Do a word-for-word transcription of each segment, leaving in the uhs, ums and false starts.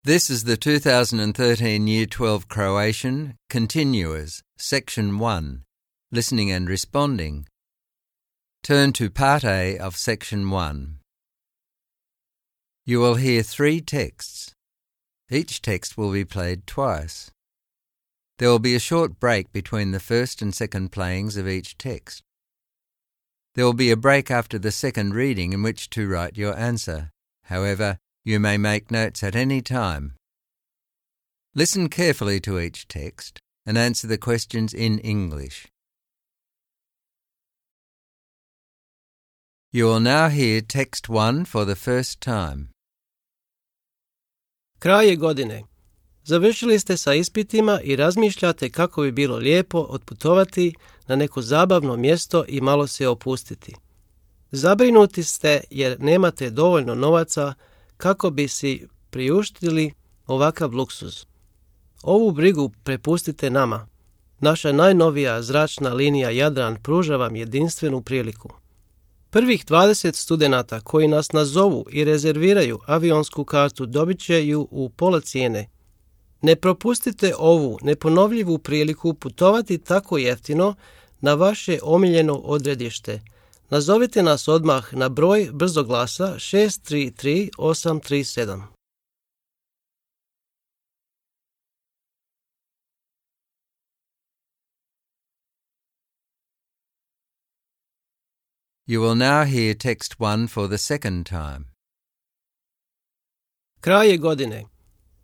This is the two thousand thirteen Year twelve Croatian Continuers, Section one, Listening and Responding. Turn to Part A of Section one. You will hear three texts. Each text will be played twice. There will be a short break between the first and second playings of each text. There will be a break after the second reading in which to write your answer. However, you may make notes at any time. Listen carefully to each text and answer the questions in English. You will now hear text one for the first time. Kraj je godine. Završili ste sa ispitima i razmišljate kako bi bilo lijepo otputovati na neko zabavno mjesto i malo se opustiti. Zabrinuti ste jer nemate dovoljno novaca kako bi si priuštili ovakav luksuz. Ovu brigu prepustite nama. Naša najnovija zračna linija Jadran pruža vam jedinstvenu priliku. Prvih dvadeset studenata koji nas nazovu i rezerviraju avionsku kartu dobit će ju u pola cijene. Ne propustite ovu neponovljivu priliku putovati tako jeftino na vaše omiljeno odredište. Nazovite nas odmah na broj brzoglasa šest tri tri osam tri sedam. You will now hear text one for the second time. Kraj je godine.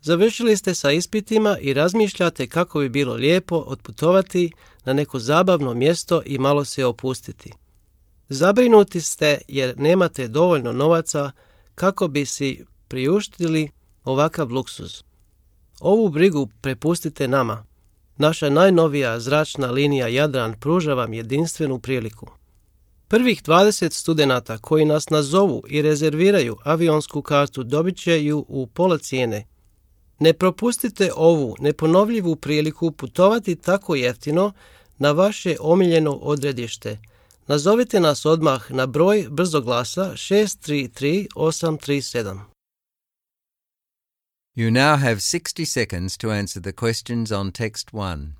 Završili ste sa ispitima i razmišljate kako bi bilo lijepo otputovati na neko zabavno mjesto i malo se opustiti. Zabrinuti ste jer nemate dovoljno novaca kako bi si priuštili ovakav luksuz. Ovu brigu prepustite nama. Naša najnovija zračna linija Jadran pruža vam jedinstvenu priliku. Prvih dvadeset studenata koji nas nazovu i rezerviraju avionsku kartu dobit će ju u pola cijene. Ne propustite ovu neponovljivu priliku putovati tako jeftino na vaše omiljeno odredište. Nazovite nas odmah na broj brzoglasa šest tri tri osam tri sedam. You now have sixty seconds to answer the questions on text one.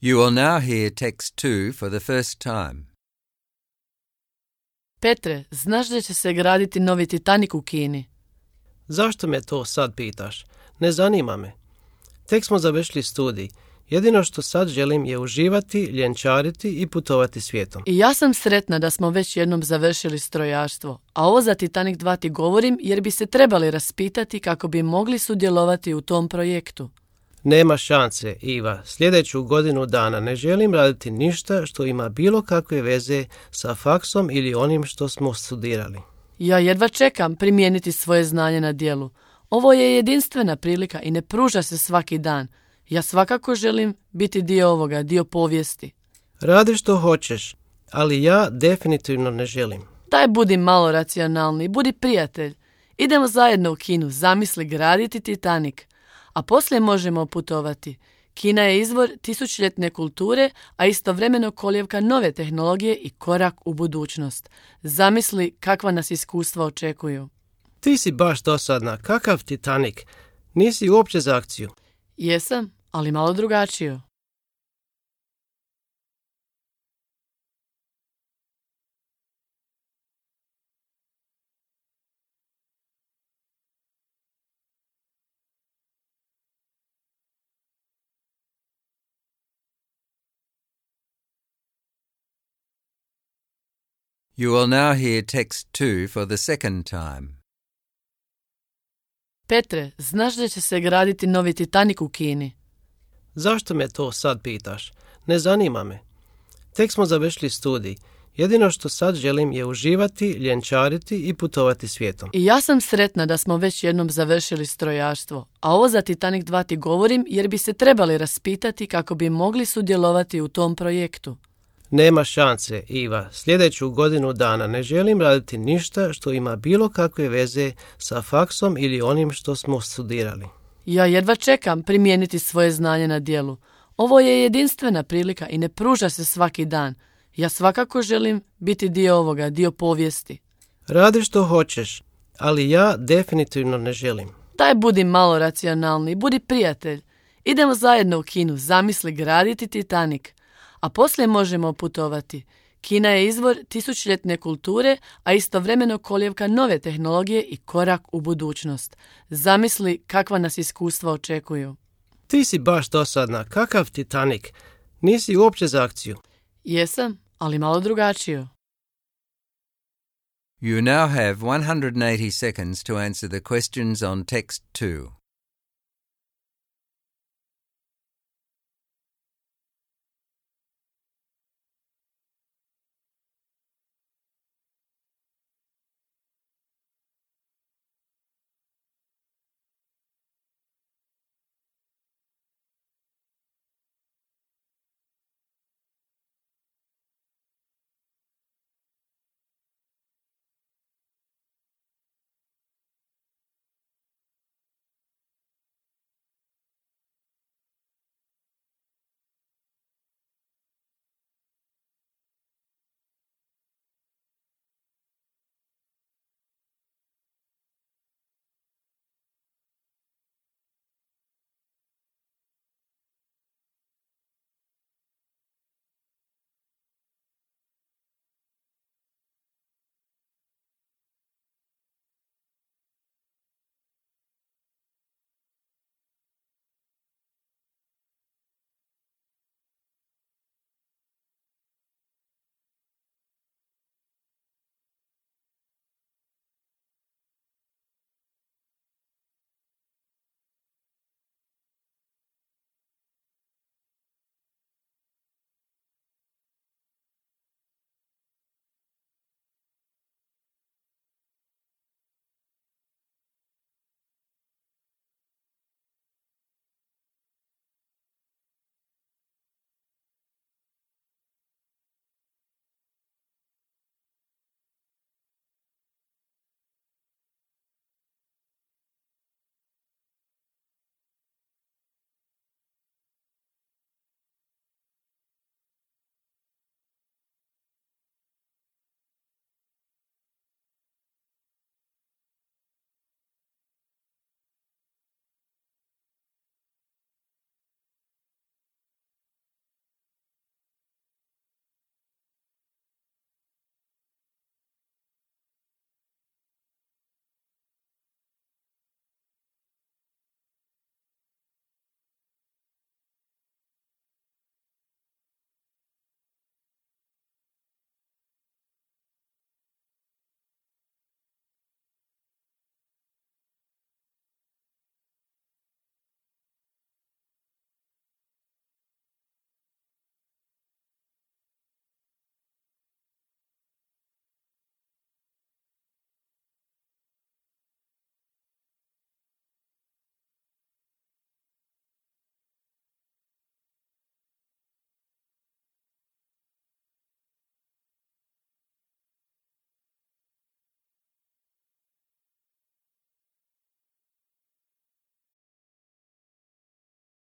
You will now hear text two for the first time. Petre, znaš da će se graditi novi Titanik u Kini? Zašto me to sad pitaš? Ne zanima me. Tek smo završili studij. Jedino što sad želim je uživati, ljenčariti i putovati svijetom. I ja sam sretna da smo već jednom završili strojarstvo, a ovo za Titanik dva ti govorim jer bi se trebali raspitati kako bi mogli sudjelovati u tom projektu. Nema šanse, Iva. Sljedeću godinu dana ne želim raditi ništa što ima bilo kakve veze sa faksom ili onim što smo studirali. Ja jedva čekam primijeniti svoje znanje na djelu. Ovo je jedinstvena prilika i ne pruža se svaki dan. Ja svakako želim biti dio ovoga, dio povijesti. Radi što hoćeš, ali ja definitivno ne želim. Daj budi malo racionalni, budi prijatelj. Idemo zajedno u Kinu, zamisli graditi Titanik. A poslije možemo putovati. Kina je izvor tisućljetne kulture, a istovremeno kolijevka nove tehnologije i korak u budućnost. Zamisli kakva nas iskustva očekuju. Ti si baš dosadna. Kakav Titanik? Nisi uopće za akciju. Jesam, ali malo drugačiju. You will now hear text two for the second time. Petre, znaš da će se graditi novi Titanic u Kini? Zašto me to sad pitaš? Ne zanima me. Tek smo završili studij. Jedino što sad želim je uživati, ljenčariti i putovati svijetom. I ja sam sretna da smo već jednom završili strojarstvo, a ovo za Titanic dva ti govorim jer bi se trebali raspitati kako bi mogli sudjelovati u tom projektu. Nema šanse, Iva. Sljedeću godinu dana ne želim raditi ništa što ima bilo kakve veze sa faksom ili onim što smo studirali. Ja jedva čekam primijeniti svoje znanje na djelu. Ovo je jedinstvena prilika i ne pruža se svaki dan. Ja svakako želim biti dio ovoga, dio povijesti. Radi što hoćeš, ali ja definitivno ne želim. Daj budi malo racionalni, budi prijatelj. Idemo zajedno u Kinu, zamisli graditi Titanic, a poslije možemo putovati. Kina je izvor tisućljetne kulture, a istovremeno kolijevka nove tehnologije i korak u budućnost. Zamisli kakva nas iskustva očekuju. Ti si baš dosadna. Kakav Titanic? Nisi uopće za akciju. Jesam, ali malo drugačiju. You now have one hundred eighty seconds to answer the questions on text two.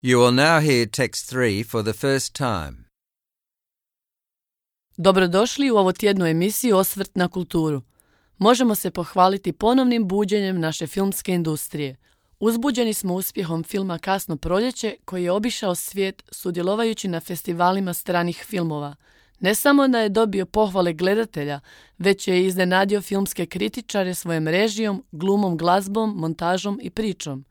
You will now hear text three for the first time. Dobrodošli u ovotjednu emisiju Osvrt na kulturu. Možemo se pohvaliti ponovnim buđenjem naše filmske industrije. Uzbuđeni smo uspjehom filma Kasno proljeće koji je obišao svijet sudjelovajući na festivalima stranih filmova. Ne samo da je dobio pohvale gledatelja, već je iznenadio filmske kritičare svojom režijom, glumom, glazbom, montažom i pričom.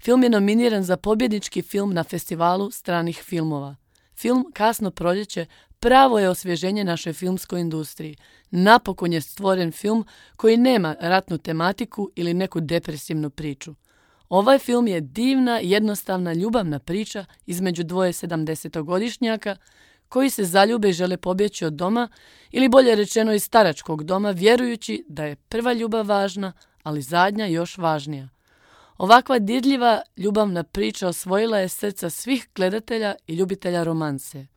Film je nominiran za pobjednički film na festivalu stranih filmova. Film Kasno proljeće pravo je osvježenje našoj filmskoj industriji. Napokon je stvoren film koji nema ratnu tematiku ili neku depresivnu priču. Ovaj film je divna, jednostavna, ljubavna priča između dvoje sedamdesetogodišnjaka koji se zaljube i žele pobjeći od doma, ili bolje rečeno iz staračkog doma, vjerujući da je prva ljubav važna, ali zadnja još važnija. Ovakva dirljiva, ljubavna priča osvojila je srca svih gledatelja i ljubitelja romanse.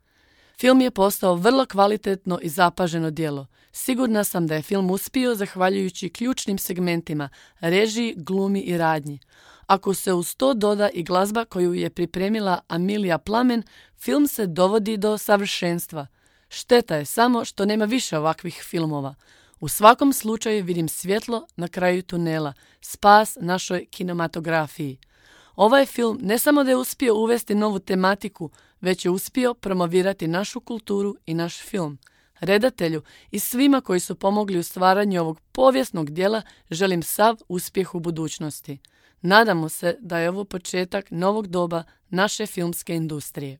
Film je postao vrlo kvalitetno i zapaženo djelo. Sigurna sam da je film uspio zahvaljujući ključnim segmentima, režiji, glumi i radnji. Ako se uz to doda i glazba koju je pripremila Amilija Plamen, film se dovodi do savršenstva. Šteta je samo što nema više ovakvih filmova. U svakom slučaju vidim svjetlo na kraju tunela, spas našoj kinematografiji. Ovaj film ne samo da je uspio uvesti novu tematiku, već je uspio promovirati našu kulturu i naš film. Redatelju i svima koji su pomogli u stvaranju ovog povijesnog djela želim sav uspjeh u budućnosti. Nadamo se da je ovo početak novog doba naše filmske industrije.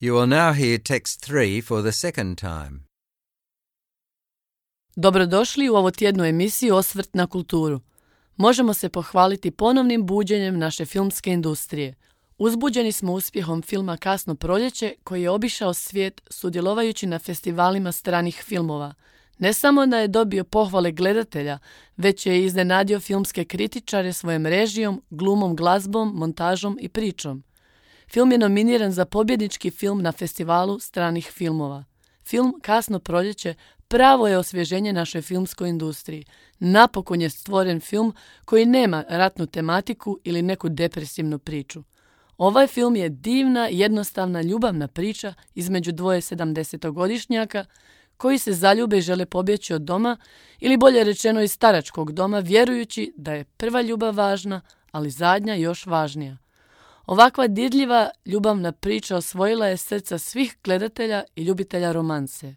You will now hear text three for the second time. Dobrodošli u ovo tjednu emisiju Osvrt na kulturu. Možemo se pohvaliti ponovnim buđenjem naše filmske industrije. Uzbuđeni smo uspjehom filma Kasno proljeće koji je obišao svijet sudjelovajući na festivalima stranih filmova. Ne samo da je dobio pohvale gledatelja, već je iznenadio filmske kritičare svojom režijom, glumom, glazbom, montažom i pričom. Film je nominiran za pobjednički film na festivalu stranih filmova. Film Kasno proljeće pravo je osvježenje našoj filmskoj industriji. Napokon je stvoren film koji nema ratnu tematiku ili neku depresivnu priču. Ovaj film je divna, jednostavna, ljubavna priča između dvoje sedamdesetogodišnjaka koji se zaljube i žele pobjeći od doma, ili bolje rečeno iz staračkog doma, vjerujući da je prva ljubav važna, ali zadnja još važnija. Ovakva dirljiva, ljubavna priča osvojila je srca svih gledatelja i ljubitelja romanse.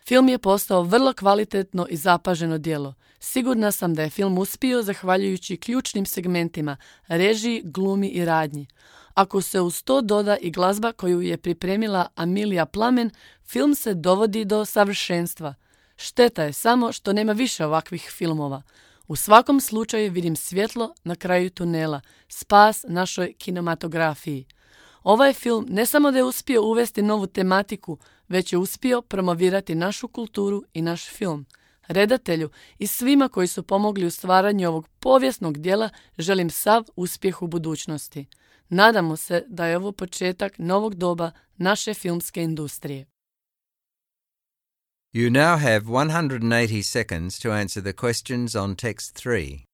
Film je postao vrlo kvalitetno i zapaženo djelo. Sigurna sam da je film uspio zahvaljujući ključnim segmentima, režiji, glumi i radnji. Ako se uz to doda i glazba koju je pripremila Amilija Plamen, film se dovodi do savršenstva. Šteta je samo što nema više ovakvih filmova. U svakom slučaju vidim svjetlo na kraju tunela, spas našoj kinematografiji. Ovaj film ne samo da je uspio uvesti novu tematiku, već je uspio promovirati našu kulturu i naš film. Redatelju i svima koji su pomogli u stvaranju ovog povijesnog djela želim sav uspjeh u budućnosti. Nadamo se da je ovo početak novog doba naše filmske industrije. You now have one hundred eighty seconds to answer the questions on text three.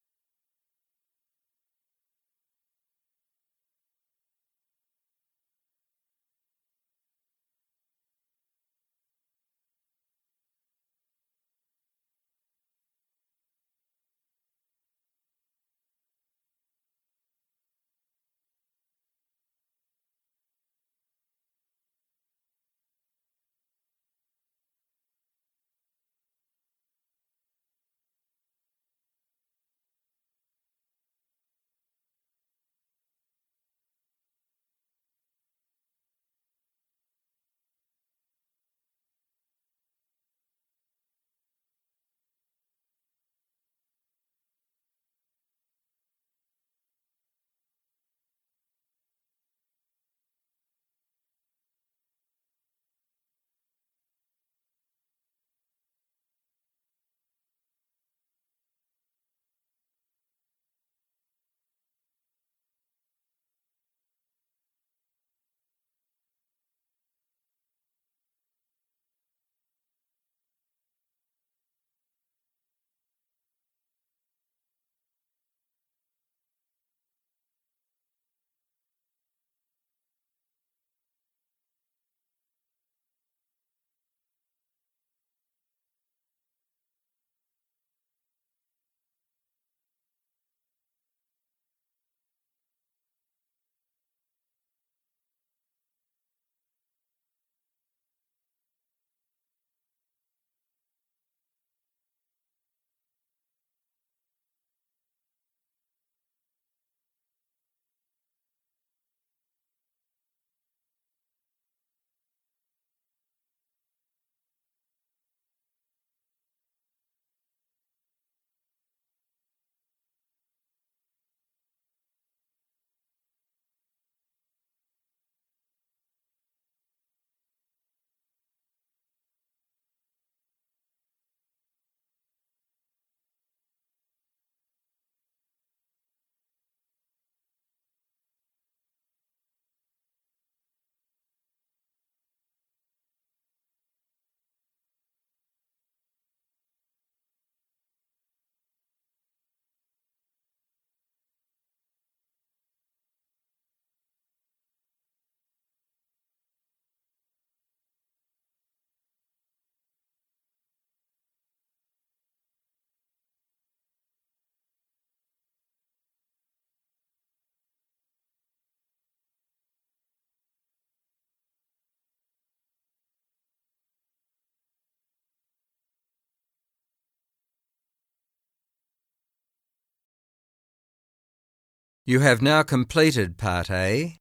You have now completed Part A.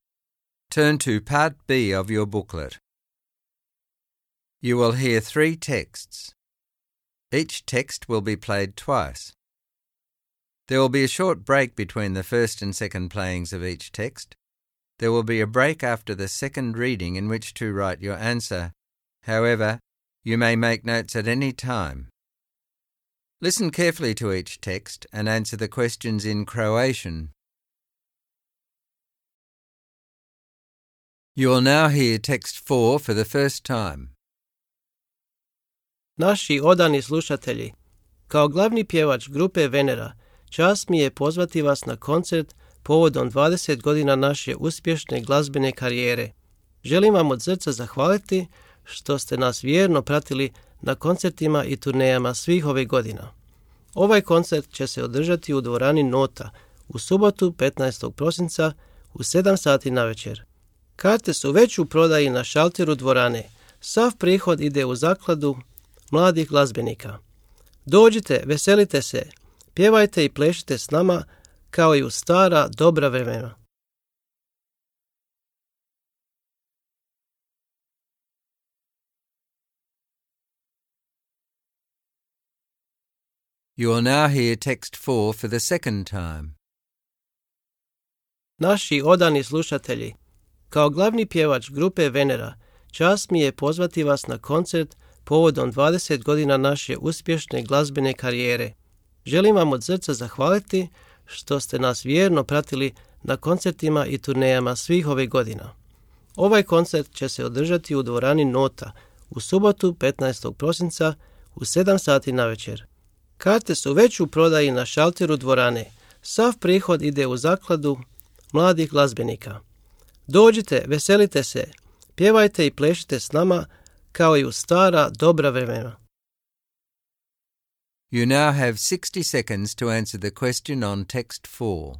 Turn to Part B of your booklet. You will hear three texts. Each text will be played twice. There will be a short break between the first and second playings of each text. There will be a break after the second reading in which to write your answer. However, you may make notes at any time. Listen carefully to each text and answer the questions in Croatian. You will now hear text four for the first time. Naši odani slušatelji, kao glavni pjevač grupe Venera, čast mi je pozvati vas na koncert povodom dvadeset godina naše uspješne glazbene karijere. Želim vam od srca zahvaliti što ste nas vjerno pratili na koncertima i turnejama svih ovih godina. Ovaj koncert će se održati u dvorani Nota u subotu petnaestog prosinca u sedam sati navečer. Karte su već u prodaji na šalteru dvorane. Sav prihod ide u zakladu mladih glazbenika. Dođite, veselite se, pjevajte i plešite s nama kao i u stara dobra vremena. You will now hear text four for the second time. Naši odani slušatelji, kao glavni pjevač grupe Venera, čast mi je pozvati vas na koncert povodom dvadeset godina naše uspješne glazbene karijere. Želim vam od srca zahvaliti što ste nas vjerno pratili na koncertima i turnejama svih ovih godina. Ovaj koncert će se održati u dvorani Nota u subotu petnaestog prosinca u sedam sati navečer. Karte su već u prodaji na šalteru dvorane. Sav prihod ide u zakladu mladih glazbenika. Dođite, veselite se, pjevajte i plešite s nama kao i u stara dobra vremena. You now have sixty seconds to answer the question on text four.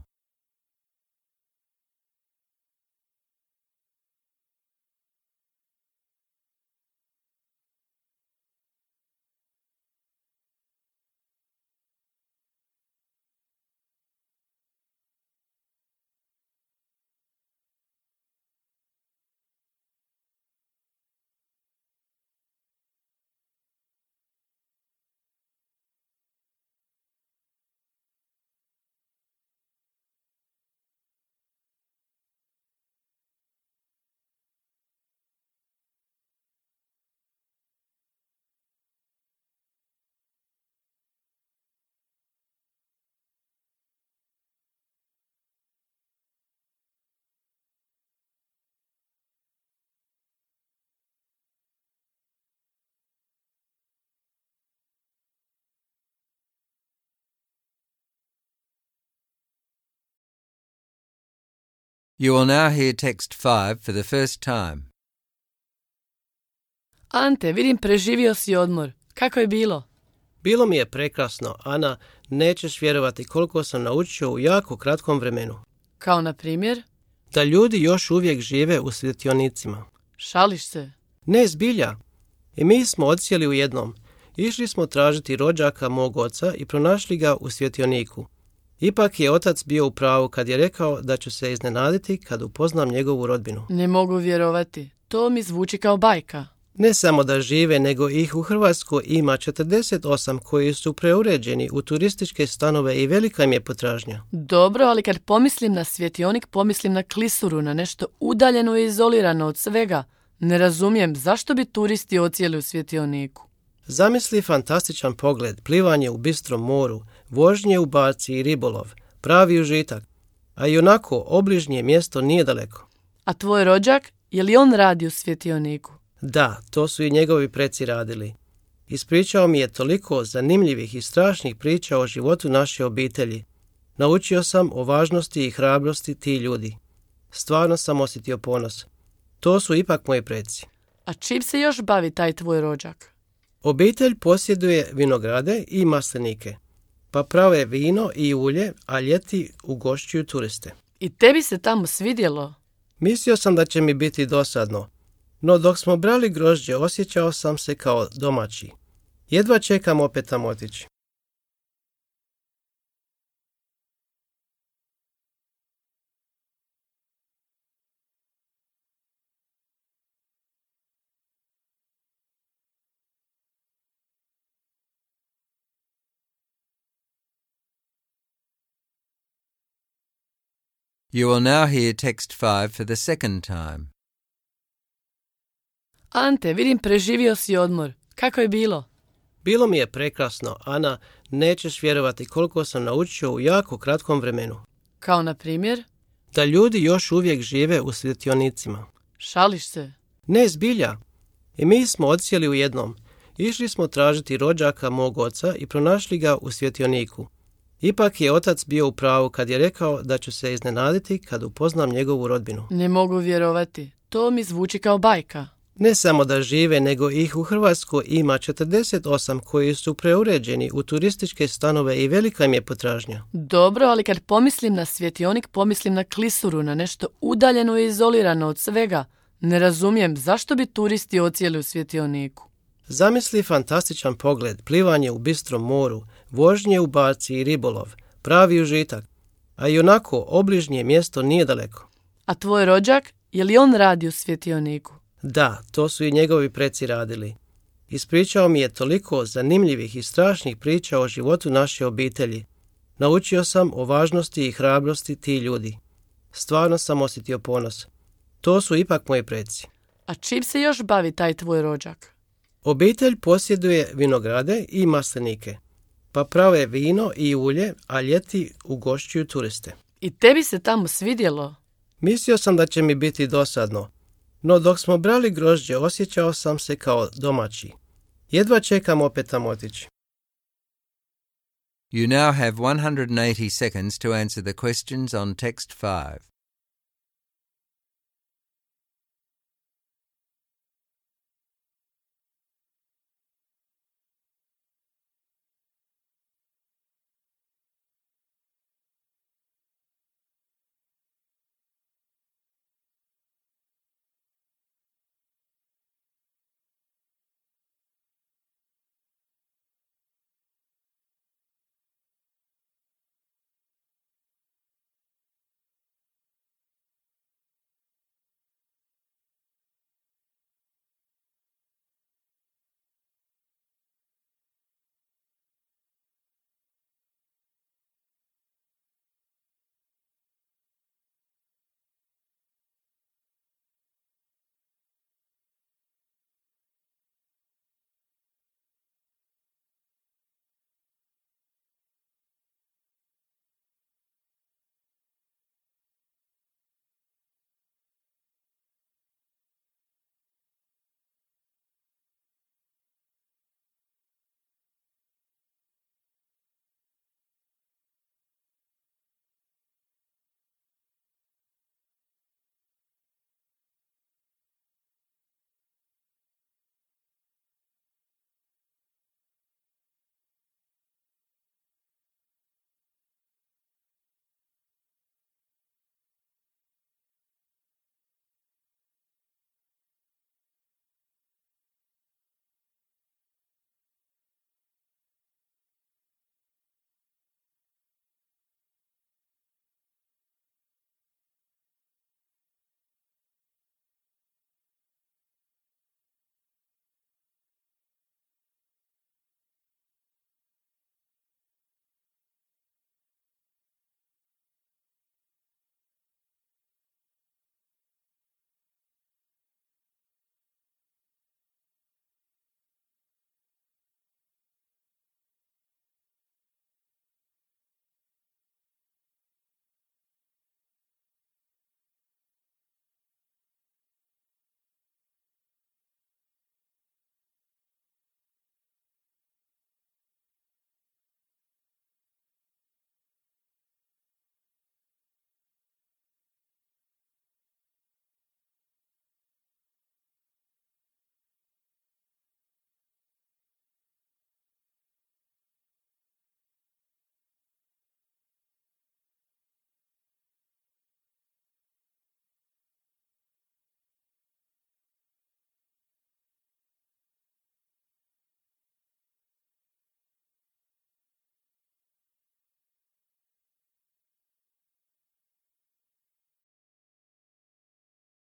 You will now hear text five for the first time. Ante, vidim preživio si odmor. Kako je bilo? Bilo mi je prekrasno, Ana, nećeš vjerovati koliko sam naučio u jako kratkom vremenu. Kao na primjer? Da ljudi još uvijek žive u svjetionicima. Šališ se? Ne, zbilja. I mi smo odsjeli u jednom. Išli smo tražiti rođaka mog oca i pronašli ga u svjetioniku. Ipak je otac bio u pravu kad je rekao da ću se iznenaditi kad upoznam njegovu rodbinu. Ne mogu vjerovati. To mi zvuči kao bajka. Ne samo da žive, nego ih u Hrvatskoj ima četrdeset osam koji su preuređeni u turističke stanove i velika im je potražnja. Dobro, ali kad pomislim na svjetionik, pomislim na klisuru, na nešto udaljeno i izolirano od svega. Ne razumijem zašto bi turisti odsjeli u svjetioniku. Zamisli fantastičan pogled, plivanje u bistrom moru, vožnje u barci i ribolov, pravi užitak. A i onako obližnje mjesto nije daleko. A tvoj rođak, je li on radi u svjetioniku? Da, to su i njegovi preci radili. Ispričao mi je toliko zanimljivih i strašnih priča o životu naše obitelji. Naučio sam o važnosti i hrabrosti ti ljudi. Stvarno sam osjetio ponos. To su ipak moji preci. A čim se još bavi taj tvoj rođak? Obitelj posjeduje vinograde i maslinike, pa prave vino i ulje, a ljeti ugošćuju turiste. I tebi se tamo svidjelo? Mislio sam da će mi biti dosadno, no dok smo brali grožđe osjećao sam se kao domaći. Jedva čekam opet tamo otići. You will now hear text five for the second time. Ante, vidim preživio si odmor. Kako je bilo? Bilo mi je prekrasno, Ana, nećeš vjerovati koliko sam naučio u jako kratkom vremenu. Kao na primjer? Da ljudi još uvijek žive u svjetionicima. Šališ se? Ne, zbilja. I mi smo odsjeli u jednom. Išli smo tražiti rođaka mog oca i pronašli ga u svjetioniku. Ipak je otac bio u pravu kad je rekao da ću se iznenaditi kad upoznam njegovu rodbinu. Ne mogu vjerovati. To mi zvuči kao bajka. Ne samo da žive, nego ih u Hrvatskoj ima četrdeset osam koji su preuređeni u turističke stanove i velika im je potražnja. Dobro, ali kad pomislim na svjetionik, pomislim na klisuru, na nešto udaljeno i izolirano od svega. Ne razumijem zašto bi turisti odsjeli u svjetioniku. Zamisli fantastičan pogled, plivanje u bistrom moru, vožnje u barci i ribolov, pravi užitak. A i onako obližnje mjesto nije daleko. A tvoj rođak, je li on radi u svjetioniku? Da, to su i njegovi preci radili. Ispričao mi je toliko zanimljivih i strašnih priča o životu naše obitelji. Naučio sam o važnosti i hrabrosti ti ljudi. Stvarno sam osjetio ponos. To su ipak moji preci. A čim se još bavi taj tvoj rođak? Obitelj posjeduje vinograde i maslinike, pa prave vino i ulje, a ljeti ugošćuju turiste. I tebi se tamo svidjelo? Mislio sam da će mi biti dosadno, no dok smo brali grožđe osjećao sam se kao domaći. Jedva čekam opet tamo otići. You now have one hundred eighty seconds to answer the questions on text five.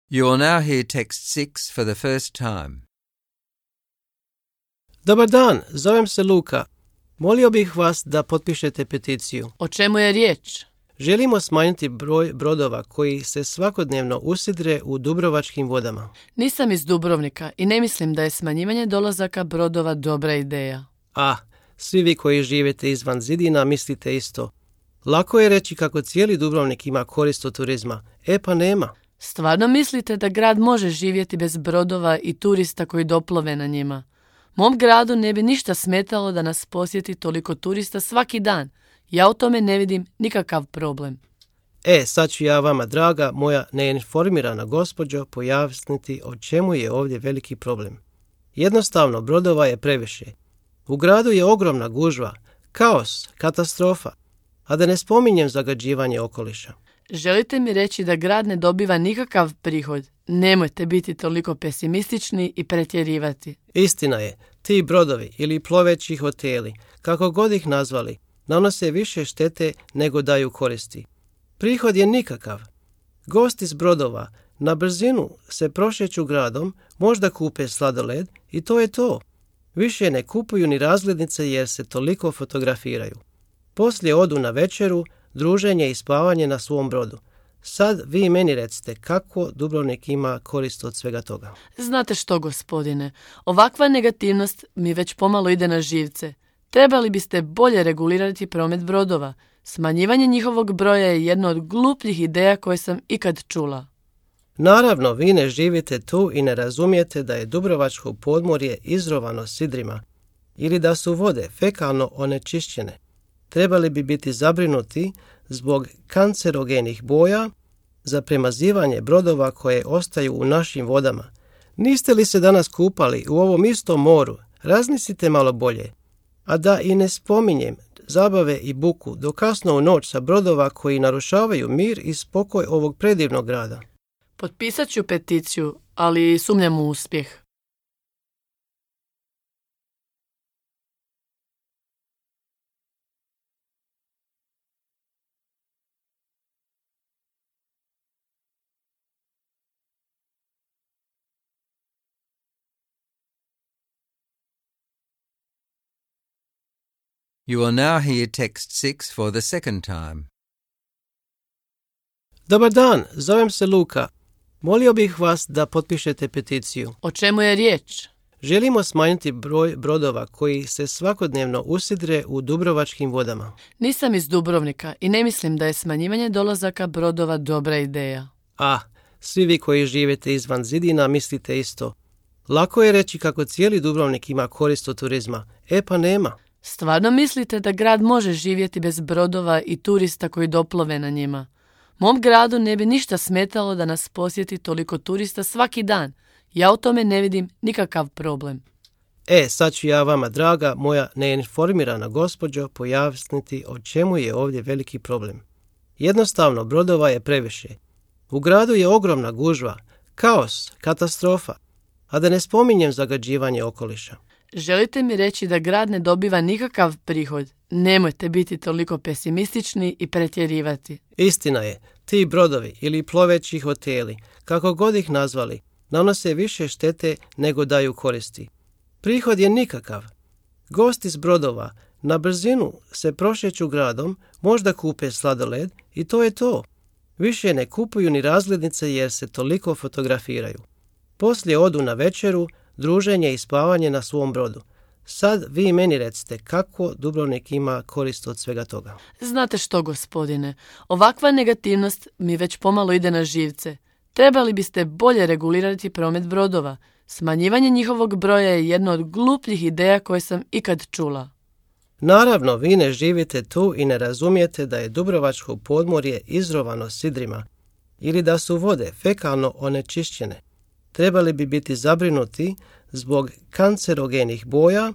You will now hear text six for the first time. Dobar dan, zovem se Luka. Molio bih vas da potpišete peticiju. O čemu je riječ? Želimo smanjiti broj brodova koji se svakodnevno usidre u dubrovačkim vodama. Nisam iz Dubrovnika i ne mislim da je smanjivanje dolazaka brodova dobra ideja. A, svi vi koji živite izvan zidina mislite isto. Lako je reći kako cijeli Dubrovnik ima korist od turizma. E pa nema. Stvarno mislite da grad može živjeti bez brodova i turista koji doplove na njima? Mom gradu ne bi ništa smetalo da nas posjeti toliko turista svaki dan. Ja u tome ne vidim nikakav problem. E, sad ću ja vama, draga moja neinformirana gospođo, pojasniti o čemu je ovdje veliki problem. Jednostavno, brodova je previše. U gradu je ogromna gužva, kaos, katastrofa, a da ne spominjem zagađivanje okoliša. Želite mi reći da grad ne dobiva nikakav prihod? Nemojte biti toliko pesimistični i pretjerivati. Istina je, ti brodovi ili ploveći hoteli, kako god ih nazvali, nanose više štete nego daju koristi. Prihod je nikakav. Gosti s brodova na brzinu se prošeću gradom, možda kupe sladoled i to je to. Više ne kupuju ni razglednice jer se toliko fotografiraju. Poslije odu na večeru, druženje i spavanje na svom brodu. Sad vi meni recite kako Dubrovnik ima korist od svega toga. Znate što, gospodine, ovakva negativnost mi već pomalo ide na živce. Trebali biste bolje regulirati promet brodova. Smanjivanje njihovog broja je jedna od glupljih ideja koje sam ikad čula. Naravno, vi ne živite tu i ne razumijete da je Dubrovačko podmorje izrovano sidrima ili da su vode fekalno onečišćene. Trebali bi biti zabrinuti zbog kancerogenih boja za premazivanje brodova koje ostaju u našim vodama. Niste li se danas kupali u ovom istom moru? Razmislite malo bolje. A da i ne spominjem zabave i buku do kasno u noć sa brodova koji narušavaju mir i spokoj ovog predivnog grada. Potpisat ću peticiju, ali sumnjam u uspjeh. You will now hear text six for the second time. Dobar dan, zovem se Luka. Molio bih vas da potpišete peticiju. O čemu je riječ? Želimo smanjiti broj brodova koji se svakodnevno usidre u dubrovačkim vodama. Nisam iz Dubrovnika i ne mislim da je smanjivanje dolazaka brodova dobra ideja. A, svi vi koji živite izvan zidina mislite isto. Lako je reći kako cijeli Dubrovnik ima korist od turizma. E pa nema. Stvarno mislite da grad može živjeti bez brodova i turista koji doplove na njima? Mom gradu ne bi ništa smetalo da nas posjeti toliko turista svaki dan. Ja u tome ne vidim nikakav problem. E, sad ću ja vama, draga moja neinformirana gospođo, pojasniti o čemu je ovdje veliki problem. Jednostavno, brodova je previše. U gradu je ogromna gužva, kaos, katastrofa, a da ne spominjem zagađivanje okoliša. Želite mi reći da grad ne dobiva nikakav prihod? Nemojte biti toliko pesimistični i pretjerivati. Istina je, ti brodovi ili ploveći hoteli, kako god ih nazvali, nanose više štete nego daju koristi. Prihod je nikakav. Gosti s brodova na brzinu se prošeću gradom, možda kupe sladoled i to je to. Više ne kupuju ni razglednice jer se toliko fotografiraju. Poslije odu na večeru, druženje i spavanje na svom brodu. Sad vi meni recite kako Dubrovnik ima korist od svega toga. Znate što, gospodine, ovakva negativnost mi već pomalo ide na živce. Trebali biste bolje regulirati promet brodova. Smanjivanje njihovog broja je jedna od glupljih ideja koje sam ikad čula. Naravno, vi ne živite tu i ne razumijete da je Dubrovačko podmorje izrovano sidrima ili da su vode fekalno onečišćene. Trebali bi biti zabrinuti zbog kancerogenih boja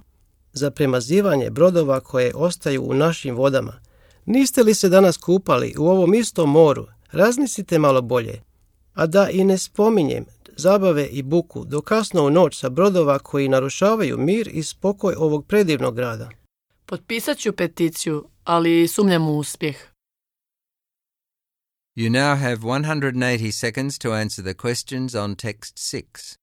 za premazivanje brodova koje ostaju u našim vodama. Niste li se danas kupali u ovom istom moru? Razmislite malo bolje. A da i ne spominjem zabave i buku do kasno u noć sa brodova koji narušavaju mir i spokoj ovog predivnog grada. Potpisat ću peticiju, ali sumnjam u uspjeh. You now have one hundred eighty seconds to answer the questions on text six.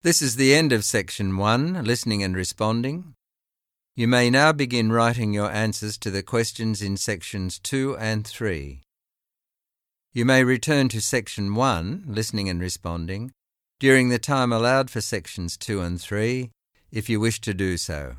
This is the end of Section one, Listening and Responding. You may now begin writing your answers to the questions in Sections two and three. You may return to Section one, Listening and Responding, during the time allowed for Sections two and three, if you wish to do so.